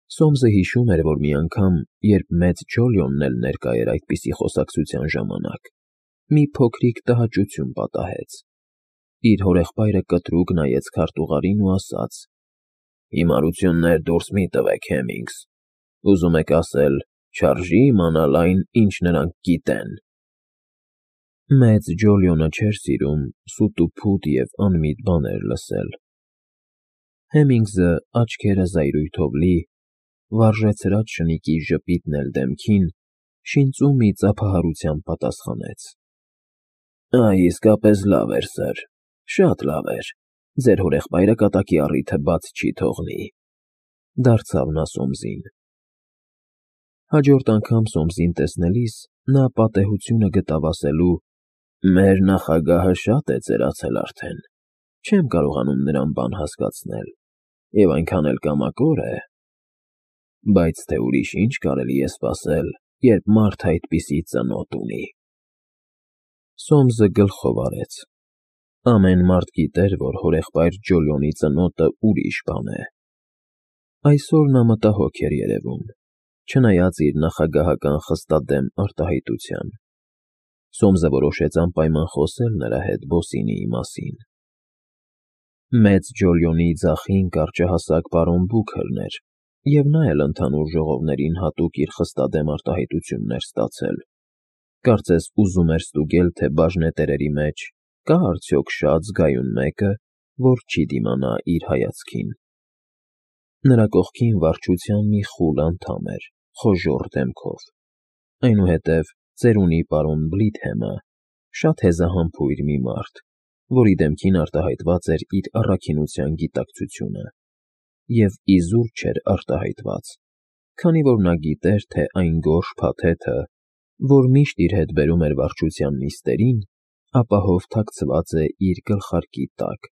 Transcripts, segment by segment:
Սոմսը հիշում էր, որ մի անգամ, երբ մեծ Ջոլիոնն էլ ներկա էր այդպիսի խոսակցության ժամանակ, մի փոքրիկ տհաճություն պատահեց. իր հորեղբայրը կտրուկ նայեց քարտուղարին ու ասաց. «Հիմարություններ դուրս մի տվեք, Հեմինգս, ուզում եք ասել, չարժի իմանալ այն, ինչ նրանք գիտեն»։ Մեծ Ջոլիոնը չէր սիրում սուտուփուտ և անմիտ բաներ լսել։ Հեմինգսը, աչքերը զայրույթով լի, վարժեցրած շնիկի ժպիտն էլ դեմքին, շինծու մի ծափահարությամբ պատասխանեց. «Այ իսկապես լավ էր, սըր, շատ լավ էր, ձեր հորեղբայրը կատակի առիթը բաց չի թողնի», դարձավ նա Սոմսին։ Հաջորդ անգամ Սոմսին տեսնելիս նա պատեհությունը գտավ ասելու. «Մեր նախագահը շատ է ծերացել արդեն, չեմ կարողանում նրան բան հասկացնել, և այնքան էլ կամակոր է, բայց թե ուրիշ ինչ կարելի է սպասել, երբ մարդ այդպիսի ծնոտ ունի»։ Սոմսը գլխով արեց. ամեն մարդ գիտեր, որ հորեղբայր Ջոլիոնի ծնոտը ուրիշ բան է։ Այսօր նա մտահոգ էր երևում, չնայած իր նախագահական խստադեմ արտահայտության։ Սոմսը որոշեց անպայման խոսել նրա հետ Բոսինիի մասին։ Մեծ Ջոլիոնի ձախին կարճահասակ պարոն Բուքլն էր, և նա էլ ընդհանուր ժողովներին հատուկ իր խստադեմ արտահայտությունն էր ստացել։ Կարծես ուզում էր ստուգել, թե բաժնետերերի մեջ կա՞ արդյոք շատ զգայուն մեկը, որ չի դիմանա իր հայացքին։ Նրա կողքին վարչության մի խուլ անդամ էր, խոժոռ դեմքով, այնուհետև ծերունի պարոն Բլիթհեմը, շատ հեզահամբույր մի մարդ, որի դեմքին արտահայտված էր իր առաքինության գիտակցությունը, և իզուր չէր արտահայտված, քանի որ նա գիտեր, թե այն գորշ փաթեթը, որ միշտ իր հետ բերում էր վարչության նիստերին, ապահով թաքցված է իր գլխարկի տակ,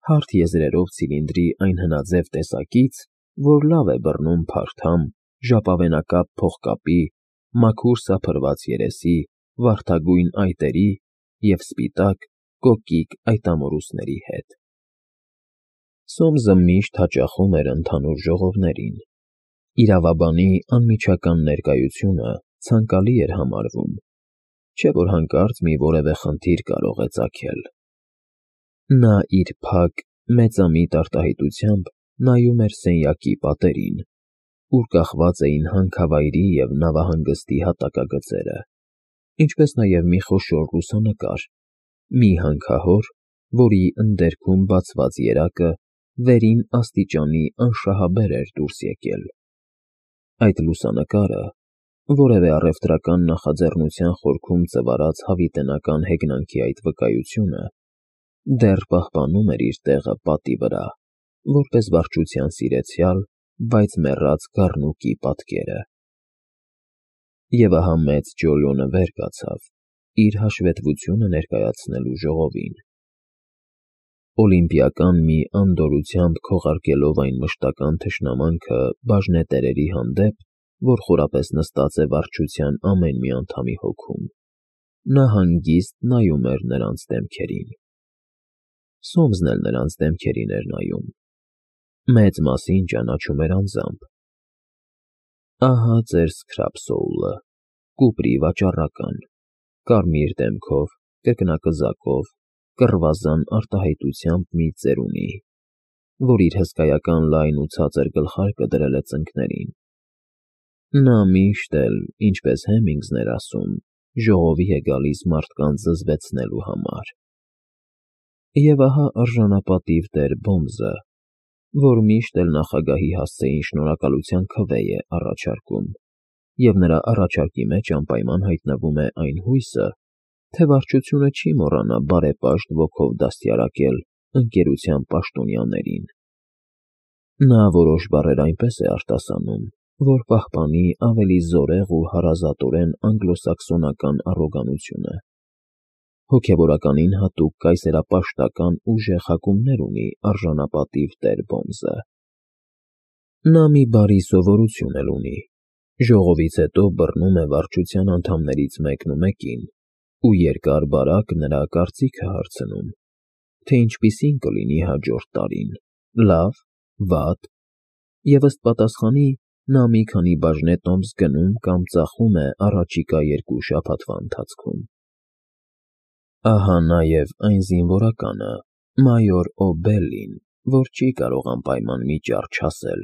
հարթ եզրերով ցիլինդրի այն հնաձև տեսակից, որ լավ է բռնում փարթամ, ժապավենակապ փողկապի, մաքուր սափրված երեսի, վարդագույն այտերի և սպիտակ, կոկիկ այտամորուսների հետ։ Սոմսը միշտ հաճախում էր ընդհանուր ժողովներին։ Իրավաբանի անմիջական ներկայությունը ցանկալի էր համարվում, չէ՞ որ հանկարծ մի որևէ խնդիր կարող է ծագել։ Նա իր փակ, մեծամիտ արտահայտությամբ նայում էր սենյակի պատերին, ուր կախված էին հանքավայրի և նավահանգստի հատակագծերը, ինչպես նաև մի խոշոր լուսանկար, մի հանքահոր, որի ընդերքում բացված երակը վերին աստիճանի անշահաբեր էր դուրս եկել։ Այդ լուսանկարը, որևէ առևտրական նախաձեռնության խորքում ծվարած հավիտենական հեգնանքի այդ վկայությունը, դեռ պահպանում էր իր տեղը պատի վրա, որպես վարչության սիրեցյալ, բայց մեռած գառնուկի պատկերը։ Եվ ահա մեծ Ջոլիոնը վեր կացավ, իր հաշվետվությունը ներկայացնելու ժողովին։ Օլիմպիական մի անդորրությամբ քողարկելով այն մշտական թշնամանքը բաժնետերերի հանդեպ, որ խորապես նստած է վարչության ամեն մի անդամի հոգում, նա հանգիստ նայում էր նրանց դեմքերին։ Սոմսն էլ նրանց դեմքերին էր նայում, մեծ մասին ճանաչում էր անձամբ։ Ահա ձեր Սքրափսոուլը, կուպրի վաճառական, կարմիր դեմքով, կրկնակզակով, կռվազան արտահայտությամբ մի ծերունի, որ իր հսկայական լայն ու ցածր գլխարկը դրել է ծնկներին։ Նա միշտ էլ, ինչպես Հեմինգսն էր ասում, ժողովի է գալիս մարդկանց զզվեցնելու համար։ Եվ ահա արժանապատիվ տեր Բոմզը, որ միշտ էլ նախագահի հասցեին շնորհակալության քվե է առաջարկում, և նրա առաջարկի մեջ անպայման հայտնվում է այն հույսը, թե վարչությունը չի մոռանա բարեպաշտ ոգով դաստիարակել ընկերության պաշտոնյաներին։ Նա որոշ բառեր այնպես է արտասանում, որ պահպանի ավելի զորեղ ու հարազատորեն անգլոսաքսոնական առոգանությունը։ Հոգևորականին հատուկ կայսերապաշտական ուժեղ հակումներ ունի արժանապատիվ տեր Բոմզը։ Նա մի բարի սովորություն էլ ունի. ժողովից հետո բռնում է վարչության անդամներից մեկնումեկին ու երկար֊բարակ նրա կարծիքը հարցնում, թե ինչպիսին կլինի հաջորդ տարին՝ լավ, վատ, և ըստ պատասխանի նա մի քանի բաժնե տոմս գնում կամ ծախում է առաջիկա 2 շաբաթվա ընթացքում։ Ահա նաև այն զինվորականը, մայոր Օ'Բելլին, որ չի կարող անպայման մի ճառ չասել,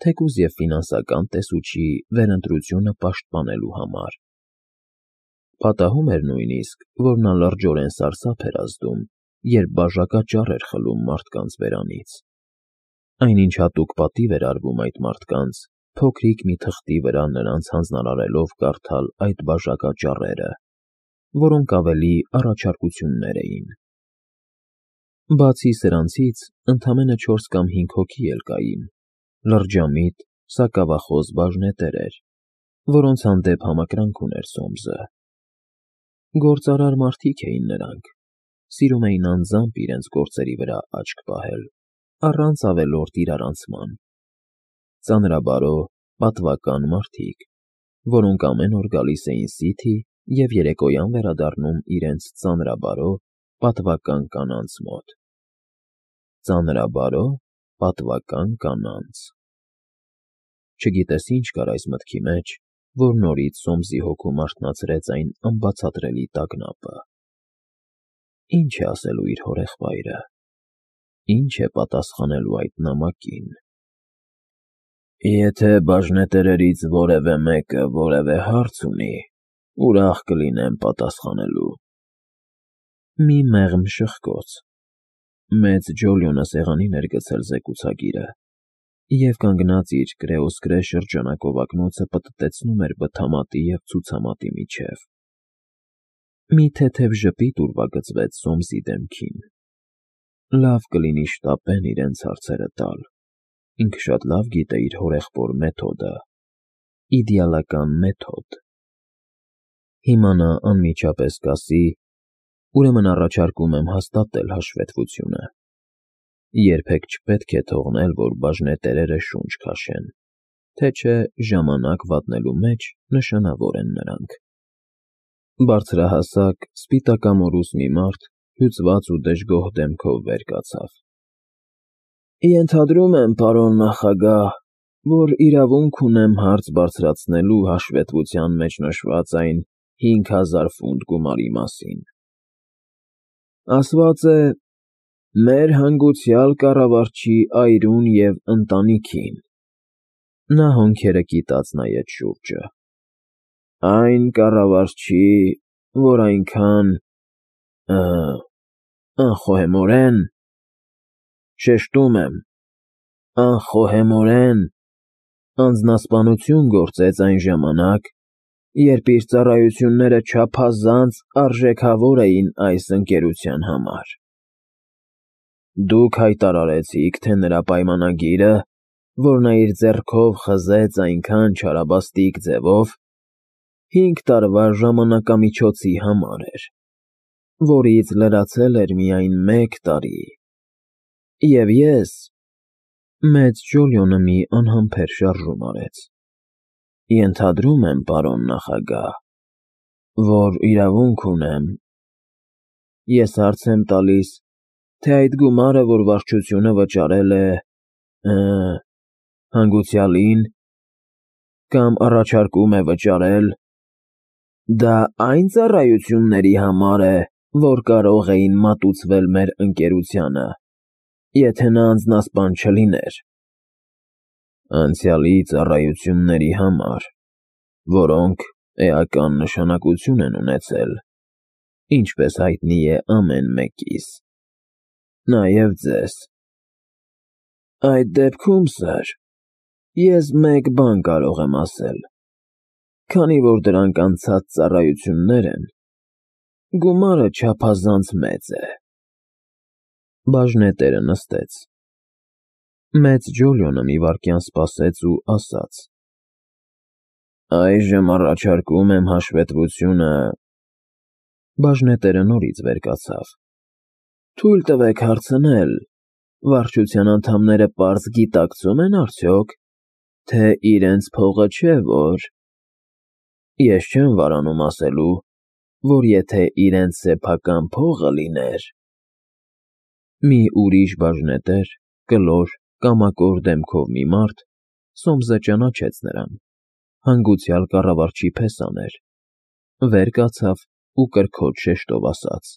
թեկուզ և ֆինանսական տեսուչի վերընտրությունը պաշտպանելու համար։ Պատահում էր նույնիսկ, որ նա լրջորեն սարսափ էր ազդում, երբ բաժակաճառ էր խլում մարդկանց բերանից։ Այնինչ հատուկ պատիվ էր արվում այդ մարդկանց, փոքրիկ մի թղթի վրա նրանց հանձնարարելով կարդալ այդ բաժակաճառերը, որոնք ավելի առաջարկություններ էին։ Բացի սրանցից, ընդամենը 4 կամ 5 հոգի էլ կային, լրջամիտ, սակավախոս բաժնետերեր, որոնց հանդեպ համակրանք ուներ Սոմսը։ Գործարար մարդիկ էին նրանք, սիրում էին անձամբ իրենց գործերի վրա աչք պահել, առանց ավելորդ իրարանցման։ Ծանրաբարո, պատվական մարդիկ, որոնք ամեն օր գալիս էին Սիթի և երեկոյան վերադառնում իրենց ծանրաբարո, պատվական կանանց մոտ։ Ծանրաբարո, պատվական կանանց։ Չգիտես ինչ կար այս մտքի մեջ, որ նորից Սոմսի հոգում արթնացրեց այն անբացատրելի տագնապը։ Ինչ է ասելու իր հորեղբայրը։ Ինչ է պատասխանելու այդ նամակին։ Եթե բաժնետերերից որևէ մեկը որևէ հարց ունի, ուրախ կլինեմ պատասխանելու։ Մի մեղմ շխկոց։ Մեծ Ջոլիոնը սեղանին էր գցել զեկուցագիրը և կանգնած իր կրեոսկրե շրջանակով ակնոցը պտտեցնում էր բթամատի և ցուցամատի միջև։ Մի թեթև ժպիտ ուրվագծվեց Սոմսի դեմքին։ Լավ կլինի շտապեն իրենց հարցերը տալ։ Ինքը շատ լավ գիտե իր հորեղբոր մեթոդը։ Իդեալական մեթոդ։ Հիմա նա անմիջապես կասի. ուրեմն առաջարկում եմ հաստատել հաշվետվությունը։ Երբեք չպետք է թողնել, որ բաժնետերերը շունչ քաշեն, թե չէ ժամանակ վատնելու մեջ նշանավոր են նրանք։ Բարձրահասակ, սպիտակամորուս մի մարդ հյուծված ու դժգոհ դեմքով վեր կացավ։ Ենթադրում եմ, պարոն նախագահ, որ իրավունք ունեմ հարց բարձրացնելու հաշվետվության մեջ նշված այն 5000 ֆունտ գումարի մասին։ Ասված է. մեր հանգուցյալ կառավարչի այրուն և ընտանիքին։ Նա հոնքերը կիտած նայեց շուրջը։ Այն կառավարչի, որ այնքան… անխոհեմորեն… շեշտում եմ, անխոհեմորեն անձնասպանություն գործեց այն ժամանակ, երբ իր ծառայությունները չափազանց արժեքավոր էին այս ընկերության համար։ Դուք հայտարարեցիք, թե նրա պայմանագիրը, որ նա իր ձեռքով խզեց այնքան չարաբաստիկ ձևով, 5 տարվա ժամանակամիջոցի համար էր, որից լրացել էր միայն 1 տարի։ Եվ ես… Մեծ Ջոլիոնը մի անհամբեր շարժում արեց։ Ենթադրում եմ, պարոն նախագահ, որ իրավունք ունեմ… Ես հարց եմ տալիս, թե այդ գումարը, որ վարչությունը վճարել է… հանգուցյալին, կամ առաջարկում է վճարել, դա այն ծառայությունների համար է, որ կարող էին մատուցվել մեր ընկերությանը, եթե նա անձնասպան չլիներ։ Անցյալի ծառայությունների համար, որոնք էական նշանակություն են ունեցել, ինչպես հայտնի է ամեն մեկիս, նաև ձեզ։ Այդ դեպքում, սըր, ես մեկ բան կարող եմ ասել. քանի որ դրանք անցած ծառայություններ են, գումարը չափազանց մեծ է։ Բաժնետերը նստեց։ Մեծ Ջոլիոնը մի վայրկյան սպասեց ու ասաց. Այժմ առաջարկում եմ հաշվետվությունը… Բաժնետերը նորից վեր կացավ։ Թույլ տվեք հարցնել, վարչության անդամները պարզ գիտակցում են արդյոք, թե իրենց փողը չէ, որ… Ես չեմ վարանում ասելու, որ եթե իրենց սեփական փողը լիներ… Մի ուրիշ բաժնետեր, կլոր, կամակոր դեմքով մի մարդ, Սոմսը ճանաչեց նրան, հանգուցյալ կառավարչի փեսան էր, վեր կացավ ու կրքոջ շեշտով ասաց.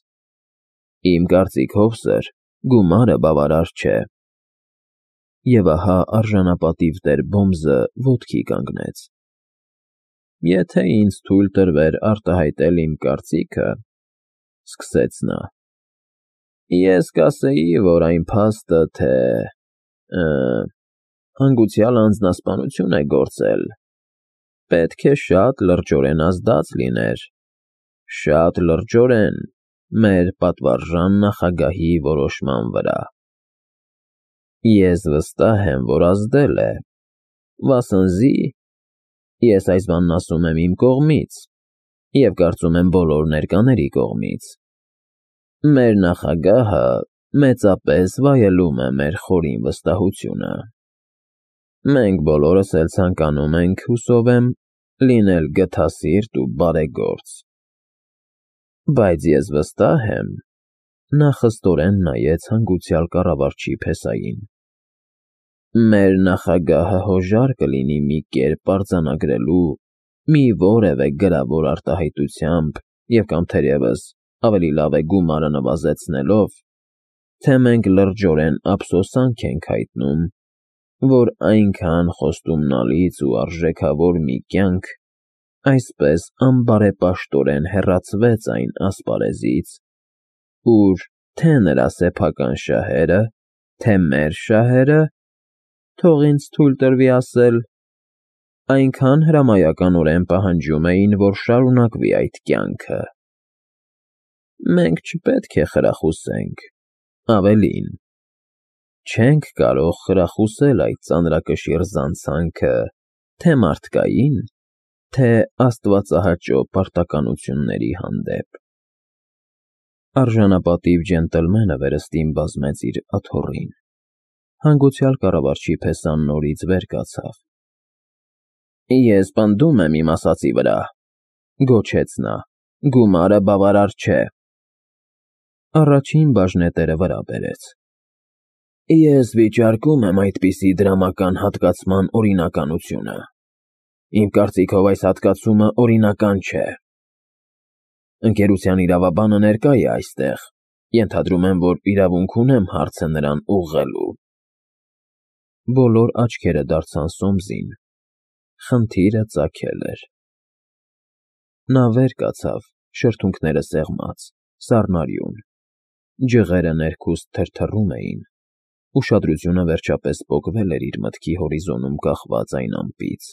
«Իմ կարծիքով, սըր, գումարը բավարար չէ»։ Եվ ահա արժանապատիվ տեր Բոմզը ոտքի կանգնեց։ «Եթե ինձ թույլ տրվեր արտահայտել իմ կարծիքը,֊ սկսեց նա,֊ ես կասեի, որ այն փաստը, թե հանգուցյալ անձնասպանություն է գործել, պետք է շատ լրջորեն ազդած լիներ, շատ լրջորեն մեր պատվարժան նախագահի որոշման վրա։ Ես վստահ եմ, որ ազդել է, վասնզի ես այս բանն ասում եմ իմ կողմից և կարծում եմ բոլոր ներկաների կողմից։ Մեր նախագահը մեծապես վայելում է մեր խորին վստահությունը։ Մենք բոլորս էլ ցանկանում ենք, հուսով եմ, լինել գթասիրտ ու բարեգործ։ Բայց ես վստահ եմ,֊ նա խստորեն նայեց հանգուցյալ կառավարչի փեսային,֊ մեր նախագահը հոժար կլինի մի կերպ արձանագրելու մի որևէ գրավոր արտահայտությամբ և կամ թերևս ավելի լավ է գումարը նվազեցնելով, թե մենք լրջորեն ափսոսանք ենք հայտնում, որ այնքան խոստումնալից ու արժեքավոր մի կյանք այսպես անբարեպաշտորեն հեռացվեց այն ասպարեզից, ուր թե նրա սեփական շահերը, թե մեր շահերը, թող ինձ թույլ տրվի ասել, այնքան հրամայականորեն պահանջում էին, որ շարունակվի այդ կյանքը։ Մենք չպետք է խրախուսենք, ավելին, չենք կարող խրախուսել այդ ծանրակշիռ զանցանքը թե մարդկային, թե աստվածահաճո պարտականությունների հանդեպ։ Արժանապատիվ ջենտլմենը վերստին բազմեց իր աթոռին։ Հանգուցյալ կառավարչի փեսան նորից վեր կացավ։ «Ես պնդում եմ իմ ասածի վրա,֊ գոչեց նա,֊ գումարը բավարար չէ»։ Առաջին բաժնետերը վրա բերեց։ «Ես վիճարկում եմ այդպիսի դրամական հատկացման օրինականությունը։ Իմ կարծիքով այս հատկացումը օրինական չէ։ Ընկերության իրավաբանը ներկա է այստեղ, ենթադրում եմ, որ իրավունք ունեմ հարցը նրան ուղղելու»։ Բոլոր աչքերը դարձան Սոմսին, խնդիրը ծագել էր։ Նա վեր կացավ, շրթունքները սեղմած, սառնարյուն, ջղերը ներքուստ թրթռում էին, ուշադրությունը վերջապես պոկվել էր իր մտքի հորիզոնում կախված այն ամպից։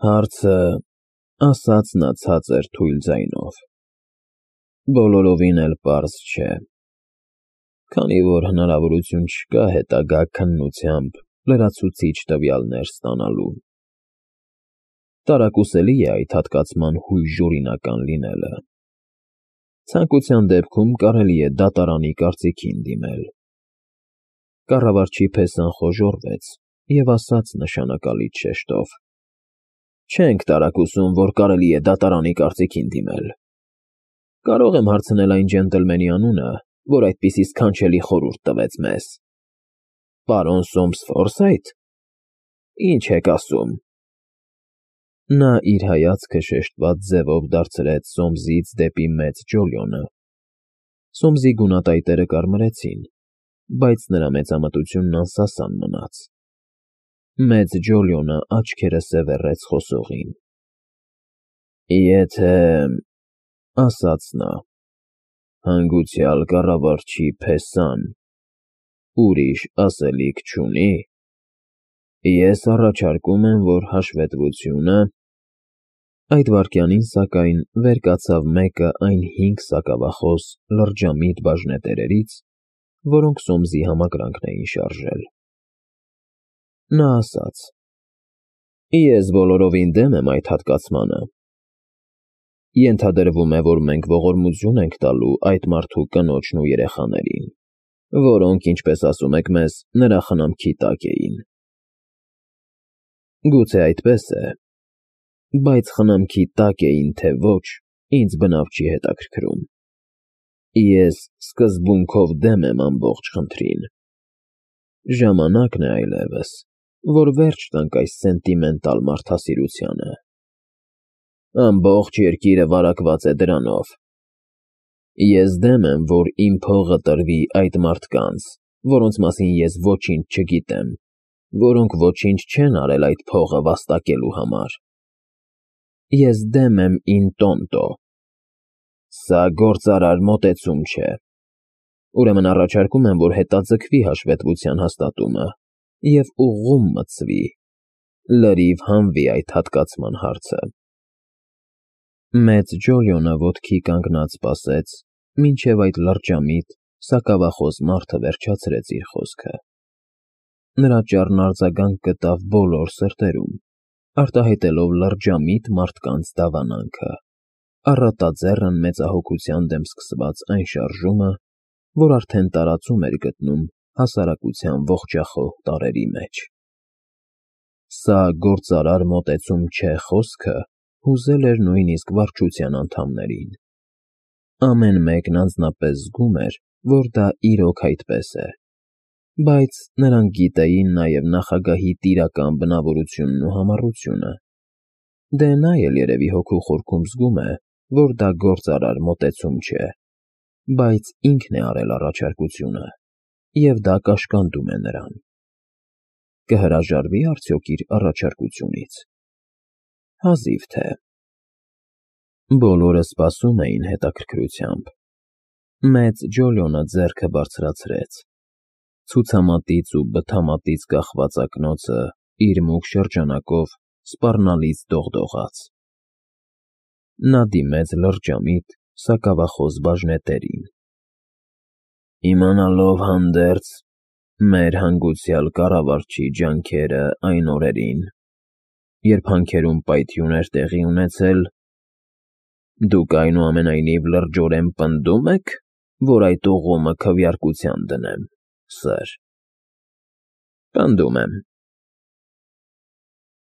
«Հարցը,֊ ասաց նա ցածր թույլ ձայնով,֊ բոլորովին էլ պարզ չէ, քանի որ հնարավորություն չկա հետագա քննությամբ լրացուցիչ տվյալներ ստանալու։ Տարակուսելի է այդ հատկացման հույժօրինական լինելը։ Ցանկության դեպքում կարելի է դատարանի կարծիքին դիմել»։ Կառավարչի փեսան խոժոռվեց և ասաց նշանակալից շեշտով. «Չենք տարակուսում, որ կարելի է դատարանի կարծիքին դիմել։ Կարո՞ղ եմ հարցնել այն ջենտլմենի անունը, որ այդպիսի սքանչելի խորհուրդ տվեց մեզ։ Պարոն Սոմս Ֆորսայթ, ի՞նչ եք ասում»։ Նա իր հայացքը շեշտված ձևով դարձրեց Սոմսից դեպի մեծ Ջոլիոնը։ Սոմսի գունատայտերը կարմրեցին, բայց նրա մեծամտությունն անսասան մնաց։ Մեծ Ջոլիոնը աչքերը սևեռեց խոսողին։ «Եթե,֊ ասաց նա,֊ հանգուցյալ կառավարչի փեսան ուրիշ ասելիք չունի, ես առաջարկում եմ, որ հաշվետվությունը…» Այդ վայրկյանին, սակայն, վեր կացավ մեկը այն 5 սակավախոս, լրջամիտ բաժնետերերից, որոնք Սոմսի համակրանքն էին շարժել։ Նա ասաց. «Ես բոլորովին դեմ եմ այդ հատկացմանը։ Ենթադրվում է, որ մենք ողորմություն ենք տալու այդ մարդու կնոջն ու երեխաներին, որոնք, ինչպես ասում եք մեզ, նրա խնամքի տակ էին։ Գուցե այդպես է, բայց խնամքի տակ էին, թե ոչ, ինձ բնավ չի հետաքրքրում։ Ես սկզբունքով դեմ եմ ամբողջ խնդրին։ Ժամանակն է այլևս, որ վերջ տանք այս սենտիմենտալ մարդասիրությանը։ Ամբողջ երկիրը վարակված է դրանով։ Ես դեմ եմ, որ իմ փողը տրվի այդ մարդկանց, որոնց մասին ես ոչինչ չգիտեմ, որոնք ոչինչ չեն արել այդ փողը վաստակելու համար։ Ես դեմ եմ in tonto։ Սա գործարար մոտեցում չէ։ Ուրեմն առաջարկում եմ, որ հետաձգվի հաշվետվության հաստատումը և ուղղում մտցվի, լրիվ հանվի այդ հատկացման հարցը։ Մեծ Ջոլիոնը ոտքի կանգնած սպասեց, մինչև այդ լրջամիտ, սակավախոս մարդը վերջացրեց իր խոսքը։ Նրա ճառն արձագանք գտավ բոլոր սրտերում, արտահայտելով լրջամիտ մարդկանց դավանանքը, առատաձեռն մեծահոգության դեմ սկսված այն շարժումը, որ արդեն տարածում էր գտնում հասարակության ողջախոհ տարրերի մեջ։ Սա գործարար մոտեցում չէ խոսքը հուզել էր նույնիսկ վարչության անդամներին։ Ամեն մեկն անձնապես զգում էր, որ դա իրոք այդպես է, բայց նրանք գիտեին նաև նախագահի տիրական բնավորությունն ու համառությունը։ Դե նա էլ երևի հոգու խորքում զգում է, որ դա գործարար մոտեցում չէ, բայց ինքն է արել առաջարկությունը, և դա կաշկանդում է նրան։ Կհրաժարվի՞ արդյոք իր առաջարկությունից։ Հազիվ թե։ Բոլորը սպասում էին հետաքրքրությամբ։ Մեծ Ջոլիոնը ձեռքը բարձրացրեց։ Ցուցամատից ու բթամատից կախված ակնոցը իր մուգ շրջանակով սպառնալից դողդողաց։ Նա դիմեց լրջամիտ, սակավախոս բաժնետերին։ Իմանալով հանդերձ մեր հանգուցյալ կառավարչի ջանքերը այն օրերին, երբ հանքերում պայթյուն էր տեղի ունեցել, դուք այնուամենայնիվ լրջորեն պնդում եք, որ այդ ուղումը քվեարկության դնեմ, սըր։ Պնդում եմ,